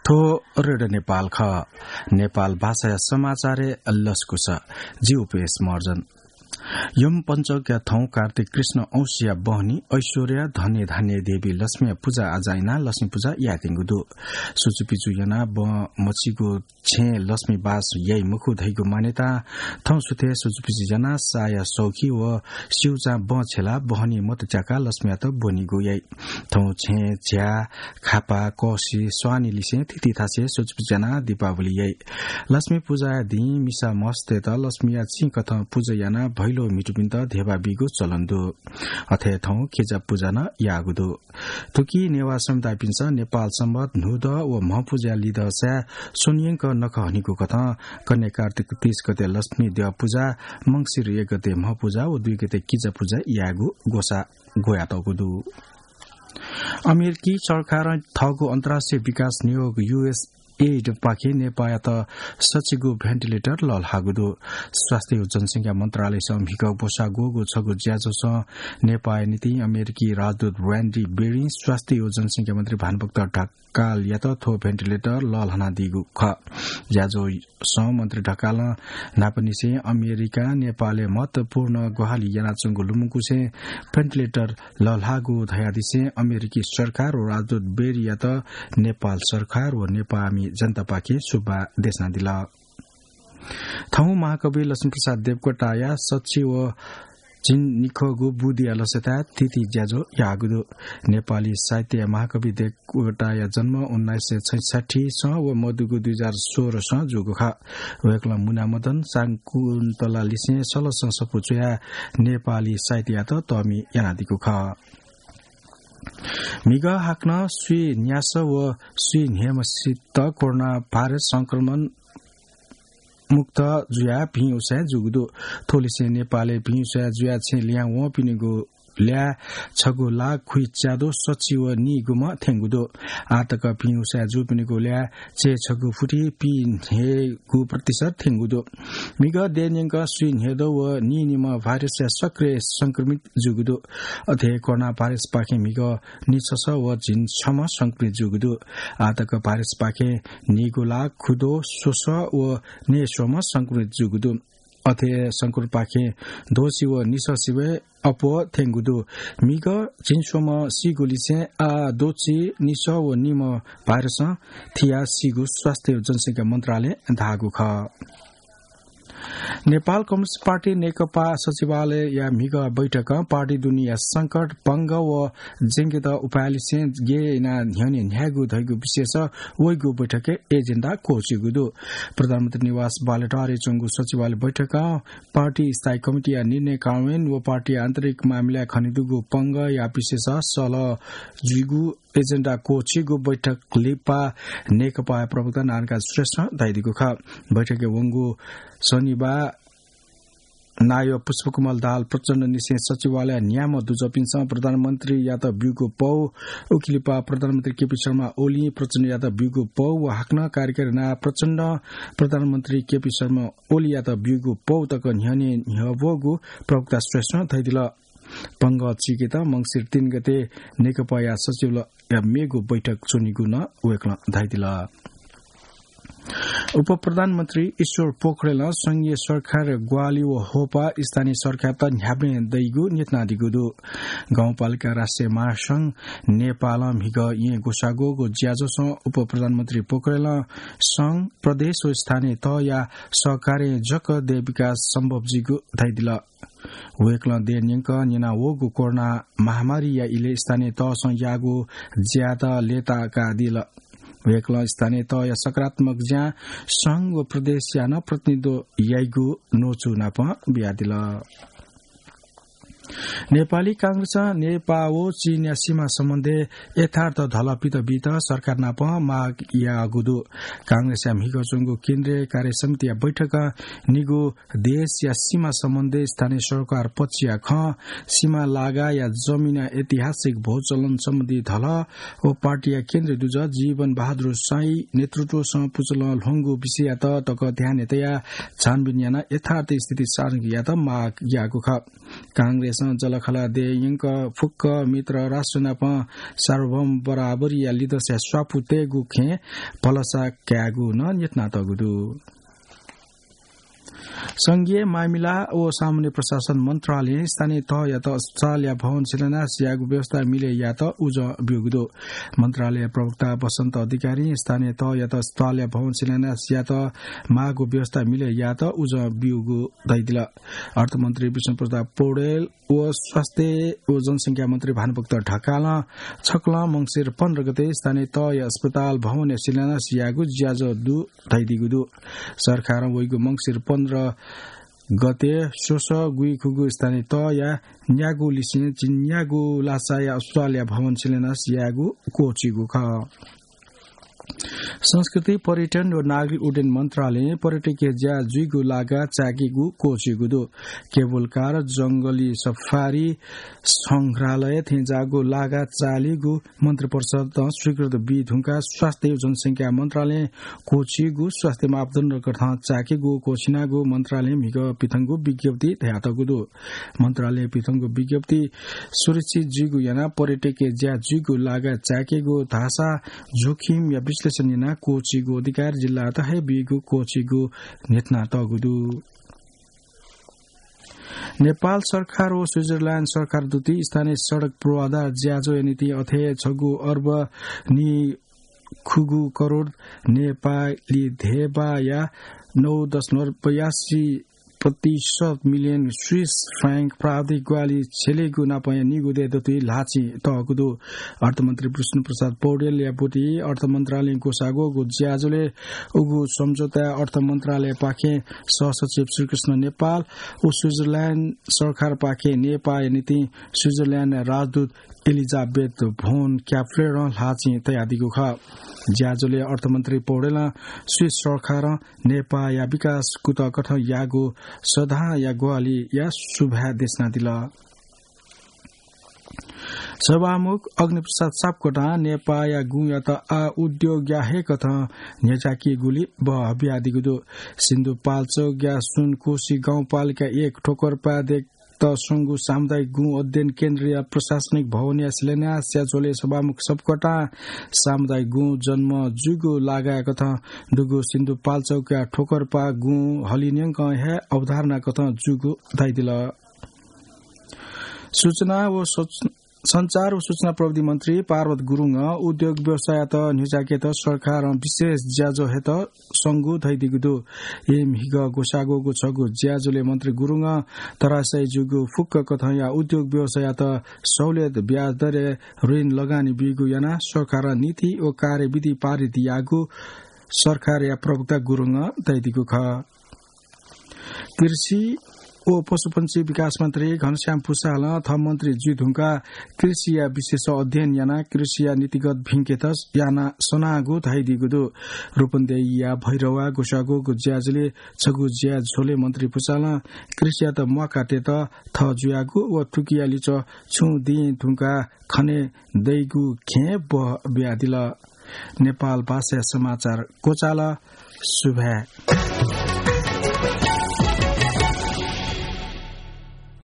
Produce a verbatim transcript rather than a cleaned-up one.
थ्व रेडियो नेपाल खः। नेपाल भाषाया समाचारय् लसकुस। जि उपेश महर्जन। यम पञ्चकया थौं कार्तिक कृष्ण औंसीया बहनी ऐश्वर्या धने धान्य देवी लक्ष्मीया पुजा आजा यानाः लक्ष्मी पुजा यायेत्यंगु दु। सुचुपिचु यानाः बहं मछिगु छेँय् लक्ष्मी बास याइ मखु धइगु मान्यता थौं सुथय् सुचुपिचु यानाः साया सौखी व स्यूचां बहं छेलाः बहनी मत च्याकाः लक्ष्मीयात ब्वनीगु याइ। थौं छेँय् झ्याः, खापा, कःसि, स्वानि लिसें थीथी थासय् सुचुपिचु यानाः दीपावली याइ। लक्ष्मी पुजाया दिं मिसा मस्तय्त लक्ष्मीया चिं कथं पुजा यानाः भैलो म्हितुपिन्त धेबा बीगु चलन दु। अथे थौं किजा पुजा नं याःगु दु। थुकी नेवाः समुदायपिन्सं नेपाल संवत न्हूदँ व म्हपुजाया लिदँसाय् स्वन्यंक नखः हनीगु कथं कन्हय् कार्तिक तीस गते लक्ष्मी द्यः पुजा, मंसिर एक गते म्हपुजा व दुई गते किजा पुजा यायेगु ग्वसाः ग्वयातःगु दु। अमेरिकी सरकारं थःगु अन्तर्राष्ट्रिय विकास नियोग, यू एस एइड पाखें नेपाःयात सच्चिगू भेन्टिलेटर लःल्हाःगु दु। स्वास्थ्य व जनसंख्या मन्त्रालयसं म्हिगः ग्वसाः ग्वःगु छगू ज्याझ्वलं नेपाःया निंतिं अमेरिकी राजदूत र्‍यान्डी बेरीं स्वास्थ्य व जनसंख्या मन्त्री भानुभक्त ढकालयात थ्व भेन्टिलेटर लःल्हानादीगु खः। ज्याझ्वलं मन्त्री ढकालं न्हापांनिसें अमेरिकां नेपालय् महत्वपूर्ण ग्वाहालि यानाच्वंगु लुमंकुसें भेन्टिलेटर लःल्हाःगु धयादिसें अमेरिकी सरकार व राजदूत बेरीयात नेपाल सरकार व नेपाःमि जनतापाखें सुभाय् देछानादिल। थौं महाकवि लक्ष्मीप्रसाद देवकोटाया सच्छि व झिंनिखःगु बुदिया लसताय् थीथी ज्याझ्वः याःगु दु। नेपाली साहित्यया महाकवि देवकोटाया जन्म उन्नाइस सय छैसठ्ठी सं व मदुगु दुई हजार सोह्र सं जूगु खः। वय्कलं मुनामदन, शाकुन्तला लिसें सलसं सफू च्वयाः नेपाली साहित्ययात तःमि यानादीगु खः। म्हिगः हाकनं स्वीन्यास व स्वीन्हय्म्हसित कोरोना भाइरस संक्रमण मुक्त जुयाः भिं उसाँय् जूगु दु। थ्वलिसें नेपालय् भिं उसाँय् जुयाः छेँ लिहां वंपिनिगु ल्याः छगू लाख खुइच्याद्वः सच्छि व नीगुम्ह थ्यंगु दु। आःतक भिं उसाँय् जूपिनिगु ल्याः चय्छगू फुति पीन्हय्गू प्रतिशत थ्यंगु दु। म्हिगः देय् न्यंक स्वीन्हय्द्वः व नीनिम्ह भाइरसया सक्रिय संक्रमित जूगु दु। अथे कोरोना भाइरसपाखें म्हिगः निछसः व झिंछम्ह संक्रमित जूगु दु। आःतक भाइरसपाखें नीगू लाख खुद्वः स्वसः व नयेस्वम्ह संक्रमित जूगु दु। अथे संक्रमितपाखें द्वःछि व निसःछि वय् अप्वः थ्यंगु दु। म्हिगः झिंस्वम्ह सीगुलिसें आः द्वःछि निसः व नीम्ह भाइरसं थियाः सीगु स्वास्थ्य व जनसंख्या मन्त्रालयं धाःगु खः। नेपाल कम्युनिस्ट पार्टी नेकपा सचिवालयया म्हिगः बैठकं पार्टी दुनेया संकट, पंगः व ज्यंकेत उपायलिसें गय् यानाः न्ह्यःने न्ह्यायेगु धइगु विषयस वइगु बैठकय् एजेन्डा क्वःछिउगु दु। प्रधानमन्त्री निवास बालुवाटारय् च्वंगु सचिवालय बैठकं पार्टी स्थायी कमिटीया निर्णय कार्यान्वयन व पार्टीया आन्तरिक मामिलाय् खनेदुगु पंगःया विषयस सल्लाह जुइगु एजेन्डा क्वःछिउगु बैठक लिपा नेकपाया प्रवक्ता नारायणकाजी श्रेष्ठं धयादीगु खः। बैठकय् वंगु शनिबाः नायः पुष्पकमल दाहाल प्रचण्डनिसें सचिवालयया न्याम्ह दुजःपिन्सं प्रधानमन्त्रीयात ब्यूगु पौ, उकिलिपा प्रधानमन्त्री केपी शर्मा ओलीं प्रचण्डयात ब्यूगु पौ व हाकनं कार्यकारी नायः प्रचण्डं प्रधानमन्त्री केपी शर्मा ओलीयात ब्यूगु पौ तक न्ह्यःने न्ह्यब्वःगु प्रवक्ता श्रेष्ठं धयादिल। पंगः चीकेत मंसिर तीन गते नेकपाया सचिवालयया मेगु बैठक च्वनीगु नं वय्कलं धयादिल। उपप्रधानमन्त्री ईश्वर पोखरेलं संघीय सरकारया ग्वाहालि व होपा स्थानीय सरकारयात न्ह्याबलें दइगु न्ह्यथनादीगु दु। गाउँपालिका राष्ट्रिय महासंघ नेपालं म्हिगः येँ ग्वसाः ग्वःगु ज्याझ्वलय् उपप्रधानमन्त्री पोखरेलं संघ, प्रदेश व स्थानीय तहया सहकारे जक देय् विकास सम्भव जुइगु धयादिल। वय्कलं देय् न्यंक न्यनावःगु कोरोना महामारीया इलय् स्थानीय तहसं याःगु ज्यायात लय्ताकादिल। वय्कलं स्थानीय तहया सकारात्मक ज्यां संघ व प्रदेशया नं प्रतिनिधित्व याइगु न्वचु नापं बियादिल। नेपाली कांग्रेसं नेपाः व चीनया सीमा सम्बन्धय् यथार्थ धलः पित बीत सरकार नाप माग याःगु दु। कांग्रेसया म्हिगः च्वंगु केन्द्रीय कार्य समितिया बैठकं निगू देशया सीमा सम्बन्धय् स्थानीय सरकार पक्षया खँ, सीमा लागाया जमिनया ऐतिहासिक भूचलन सम्बन्धी धलः व पार्टीया केन्द्रीय दुजः जीवन बहादुर साई नेतृत्वसं पुचलं ल्ह्वंगु विषययात तक ध्यानय् तयाः छानबिन यानाः यथार्थ स्थिति सार्वजनिक यायेत माग याःगु खः। कांग्रेसं जःलाखःला दयेयंक फुक्क मित्र राष्ट्र नाप सार्वभौम बराबरीया लिदँसाय् स्वापू तयेगु खँय् भलसा कायेगु नं न्ह्यथनातःगु दु। संघीय मामिला व सामान्य प्रशासन मन्त्रालयं स्थानीय तहयात अस्पतालया भवन शिलान्यास यायेगु व्यवस्था मिले यायेत उजं ब्यूगु दु। मन्त्रालय प्रवक्ता बसन्त अधिकारीं स्थानीय तहयात अस्पतालया भवन शिलान्यास यायेत माःगु व्यवस्था मिले यायेत उजं ब्यूगु धयादिल। अर्थमन्त्री विष्णुप्रसाद पौडेल व स्वास्थ्य व जनसंख्या मन्त्री भानुभक्त ढकालं छकलं मंसिर पन्ध्र गते स्थानीय तहया अस्पताल भवनया शिलान्यास यायेगु ज्याझ्वः दु धयादीगु दु। सरकारं वइगु मंसिर पन्ध्र गते स्वसः गुइखुगू स्थानीय तहया न्यागू लिसें झिंन्यागू लासाया अस्पतालया भवन शिलान्यास यायेगु क्वःछिगु खः। संस्कृति, पर्यटन व नागरिक उड्डयन मन्त्रालयं पर्यटकीय ज्या जुइगु लागा चायेकेगु क्वःछिगु दु। केबल कार, जंगली सफारी, संग्रहालय थेंज्याःगु लागा चालीगु मन्त्रिपरिषदं स्वीकृति बी धुंकाः स्वास्थ्य व जनसंख्या मन्त्रालयं क्वःछिगु स्वास्थ्य मापदण्ड कथं चायेकेगु क्वःछिनागु मन्त्रालयं म्हिगः पिथंगु विज्ञप्ति धयातःगु दु। मन्त्रालयं पिथंगु विज्ञप्ति सुरक्षित जुइगु यानाः पर्यटकीय ज्या जुइगु लागा चायेकेगु धाःसा जोखिमया विश्लेषण यानाः क्वःछिगु अधिकार जिल्लायात हे बीगु क्वःछिगु न्ह्यथनातःगु दु। नेपाल सरकार व स्विजरल्याण्ड सरकार दुति स्थानीय सडक पूर्वाधार ज्याझ्वःया निंतिं अथे छगू अर्ब नीखुगू करोड नेपाली धेबाया नौ दशमलव बयासी प्रतिशत मिलियन स्विस फ्र्याङ्क प्राविधिक ग्वाहालि छ्यलेगु नापया निगू दय् दतुइ ल्हाःचिं तःगु दु। अर्थमन्त्री विष्णुप्रसाद पौडेलया बुति अर्थ मन्त्रालयं ग्वसाः ग्वःगु ज्याझ्वलय् उगु सम्झौताय् अर्थ मन्त्रालयपाखें सहसचिव श्रीकृष्ण नेपाल व स्विजरल्याण्ड सरकारपाखें नेपाःया निंतिं स्विजरल्याण्ड राजदूत एलिजाबेथ भोन क्याप्लेरं ल्हाःचिं तयादीगु खः। ज्याझ्वलय् अर्थमन्त्री पौडेलं स्विस सरकारं नेपाःया विकास कुतः कथं याःगु सदांया ग्वाहालिया सुभाय् देछानादिल। सभामुख अग्निप्रसाद सापकोटां नेपाःया गुँयात आः उद्योगया हे कथं न्ह्यज्याकीगुली बहः बियादीगु दु। सिन्धुपाल्चोकया सुनकोशी गाउँपालिका एक ठोकरपाः दय्केत स्वंगु सामुदायिक गुँ अध्ययन केन्द्रया प्रशासनिक भवनया शिलान्यासया झ्वलय् सभामुख सापकोटां सामुदायिक गुँ जन्म जूगु लागाया कथं दुगु सिन्धुपाल्चोकया ठोकरपाः गुँ हलिन्यंकं हे अवधारणा कथं जूगु धयादिल। सूचना व सोच-, सञ्चार व सूचना प्रविधि मन्त्री पार्वत गुरुङं उद्योग व्यवसाययात न्ह्यज्याकेत सरकारं विशेष ज्याझ्वः हयेत संगु धयादीगु दु। यः म्हिगः ग्वसाः ग्वःगु छगू ज्याझ्वलय् मन्त्री गुरुङं तरासाय् जूगु फुक्क कथंया उद्योग व्यवसाययात सहुलियत ब्याज दरय् ऋण लगानी बीगु यानाः सरकारं नीति व कार्यविधि पारित याःगु सरकारया प्रवक्ता गुरुङं धयादीगु खः। कृषि व पशुपन्छी विकास मन्त्री घनश्याम पुसालं थः मन्त्री जुइ धुंकाः कृषिया विषयय् अध्ययन यानाः कृषिया नीतिगत भिंकेत याना सनागु धयादीगु दु। रूपन्देहीया भैरवा ग्वसाः ग्वःगु ज्याझ्वलय् छगू ज्याझ्वलय् मन्त्री पुसालं कृषियात म्वाकाः तयेत थः जुयागु व थुकिया लिच्वः छुं दिं धुंकाः खने दइगु खँय् बहः बियादिल। नेपाल भाषाया समाचार क्वचाल। सुभाय्।